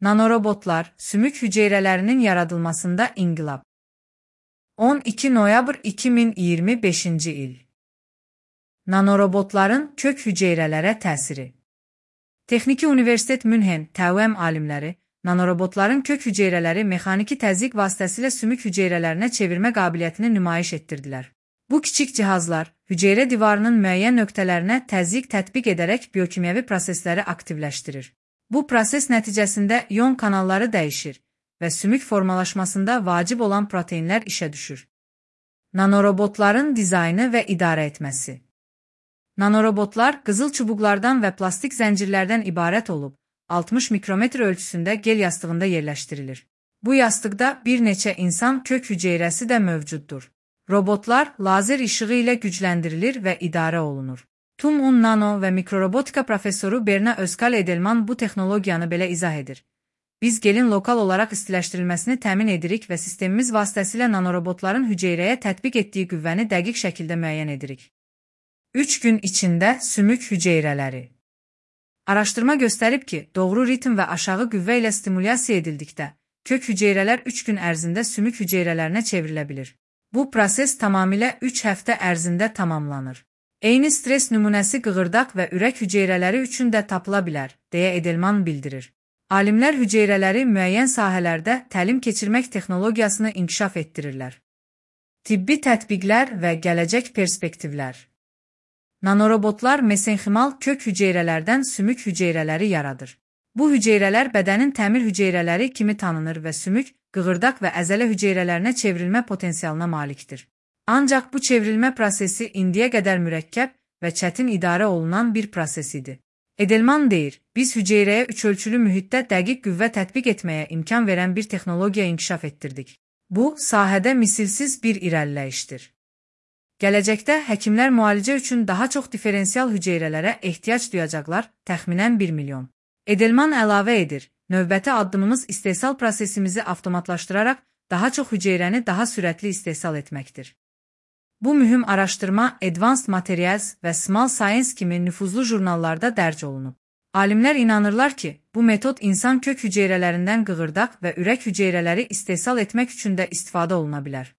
Nanorobotlar, sümük hücrelerinin yaradılmasında inqilab. 12 noyabr 2025 il. Nanorobotların kök hücrelərə təsiri. Texniki Universitet Münhen TÜM alimləri, nanorobotların kök hücreləri mexaniki təzyiq vasitəsilə sümük hücrələrinə çevirmə qabiliyyətini nümayiş etdirdilər. Bu kiçik cihazlar, hücrə divarının müəyyən nöqtələrinə təzyiq tətbiq edərək biokimyəvi prosesləri aktivləşdirir. Bu proses nəticəsində ion kanalları dəyişir və sümük formalaşmasında vacib olan proteinlər işə düşür. Nanorobotların dizaynı və idarə etməsi. Nanorobotlar qızıl çubuqlardan və plastik zəncirlərdən ibarət olub, 60 mikrometr ölçüsündə gel yastığında yerləşdirilir. Bu yastıqda bir neçə insan kök hücrəsi də mövcuddur. Robotlar lazer işığı ilə gücləndirilir və idarə olunur. TÜM Nano və mikrorobotika professoru Berna Özkal-Edelman bu texnologiyanı belə izah edir. Biz gelin lokal olaraq istiləşdirilməsini təmin edirik və sistemimiz vasitəsilə nanorobotların hücrəyə tətbiq etdiyi qüvvəni dəqiq şəkildə müəyyən edirik. 3 gün içində sümük hücrələri. Araşdırma göstərib ki, doğru ritm və aşağı qüvvə ilə stimulyasiya edildikdə, kök hücrələr 3 gün ərzində sümük hücrələrinə çevrilə bilir. Bu proses tamamilə 3 həftə ərzində tamamlanır. Eyni stres nümunəsi qığırdaq və ürək hücrələri üçün də tapıla bilər, deyə Edelman bildirir. Alimlər hücrələri müəyyən sahələrdə təlim keçirmək texnologiyasını inkişaf etdirirlər. Tibbi tətbiqlər və gələcək perspektivlər. Nanorobotlar mesenximal kök hücrələrdən sümük hücrələri yaradır. Bu hücrələr bədənin təmir hücrələri kimi tanınır və sümük, qığırdaq və əzələ hücrələrinə çevrilmə potensialına malikdir. Ancaq bu çevrilmə prosesi indiyə qədər mürəkkəb və çətin idarə olunan bir proses idi. Edelman deyir, biz hücrəyə üçölçülü mühitdə dəqiq qüvvə tətbiq etməyə imkan verən bir texnologiya inkişaf etdirdik. Bu, sahədə misilsiz bir irəliləyişdir. Gələcəkdə həkimlər müalicə üçün daha çox diferensial hücrələrə ehtiyac duyacaqlar, təxminən 1 milyon. Edelman əlavə edir, növbəti addımımız istehsal prosesimizi avtomatlaşdıraraq daha çox hücrəni daha sürətli istehsal etməkdir. Bu mühüm araşdırma Advanced Materials və Small Science kimi nüfuzlu jurnallarda dərc olunub. Alimlər inanırlar ki, bu metod insan kök hücrələrindən qığırdaq və ürək hücrələri istehsal etmək üçün də istifadə oluna bilər.